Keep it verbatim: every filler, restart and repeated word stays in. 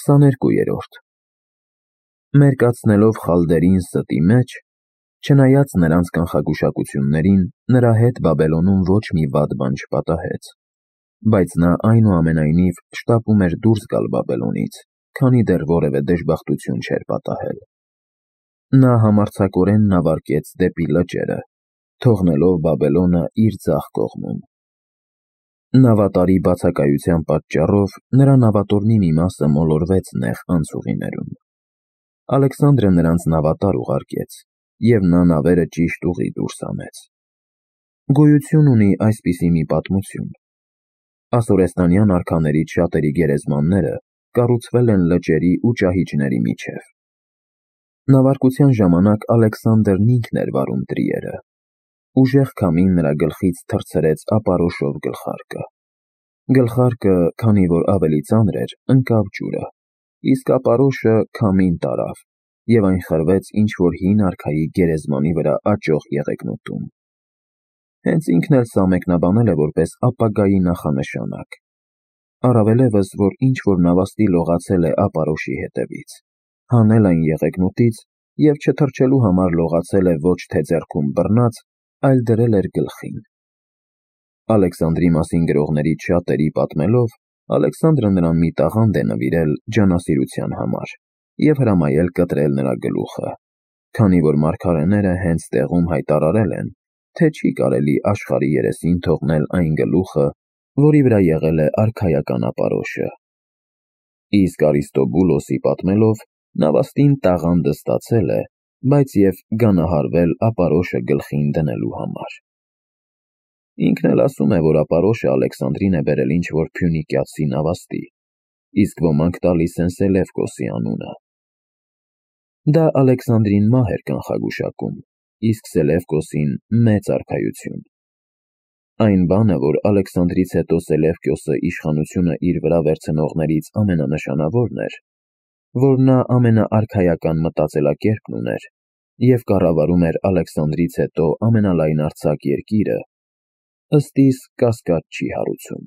քսաներկուերորդ Մերկացնելով խալդերին ստի մեջ, չնայած նրանց կանխագուշակություններին, նրա հետ Բաբելոնում ոչ մի վատ բան չպատահեց, բայց նա այնուամենայնիվ շտապում էր դուրս գալ Բաբելոնից, քանի դեռ որևէ դժբախտություն չէր պատահել։ Նա համարձակորեն նավարկեց դեպի լճերը, թողնելով Բաբելոնը իր ձախ կողմում։ Նավատարի բացակայության պատճառով նրա նավատորմի մի մասը մոլորվեց նեղ անցուղիներում։ Ալեքսանդրը նրանց նավատար ուղարկեց, և նա նավերը ճիշտ ուղի դուրս հանեց։ Գոյություն ունի այսպիսի մի պատմություն. ասորեստանյան արքաներից շատերի գերեզմանները կառուցվել են լճերի ու ճահիճների միջև։ Նավարկության ժամանակ Ալեքսանդրն ինքն էր վարում տրիերը։ Ուժեղ քամին նրա գլխից թռցրեց ապարոշով գլխարկը։ Գլխարկը, քանի որ ավելի ծանր էր, ընկավ ջուրը, իսկ ապարոշը քամին տարավ, և այն խրվեց ինչ-որ հին արքայի գերեզմանի վրա աճող եղեգնուտում։ Հենց ինքն էլ սա մեկնաբանել է որպես ապագայի նախանշանակ։ Առավելևս, որ ինչ-որ նավաստի լողացել է ապարոշի հետևից, հանել այն եղեգնուտից և չթռչելու համար լողացել է ոչ թե ձեռքում բռնած, այլ դրել էր գլխին։ Ալեքսանդրի մասին գրողներից շատերի պատմելով, Ալեքսանդրը նրան մի տաղանդ է նվիրել ջանասիրության համար և հրամայել կտրել նրա գլուխը, քանի որ մարգարեները հենց տեղում հայտարարել են, թե չի կարելի աշխարհի երեսին թողնել այն գլուխը, որի վրա եղել է արքայական ապարոշը։ Իսկ Արիստոբուլոսի պատմելով, նավաստին տաղանդը ստացել է, բայց և գանահարվել ապարոշը գլխին դնելու համար։ Ինքն էլ ասում է, որ ապարոշը Ալեքսանդրին է բերել ինչ-որ փյունիկացի նավաստի, իսկ ոմանք տալիս են Սելևկոսի անունը։ Դա Ալեքսանդրին մահ էր կանխագուշակում, իսկ Սելևկոսին մեծ արքայություն։ Այն բանը, որ Ալեքսանդրից հետո Սելևկոսը իշխանությունը իր վրա վերցնողներից ամենանշանավորն էր, որ նա ամենաարքայական մտածելակերպն ուներ և կառավարում էր Ալեքսանդրից հետո ամենալայնարձակ երկիրը, ըստ իս կասկած չի հարուցում։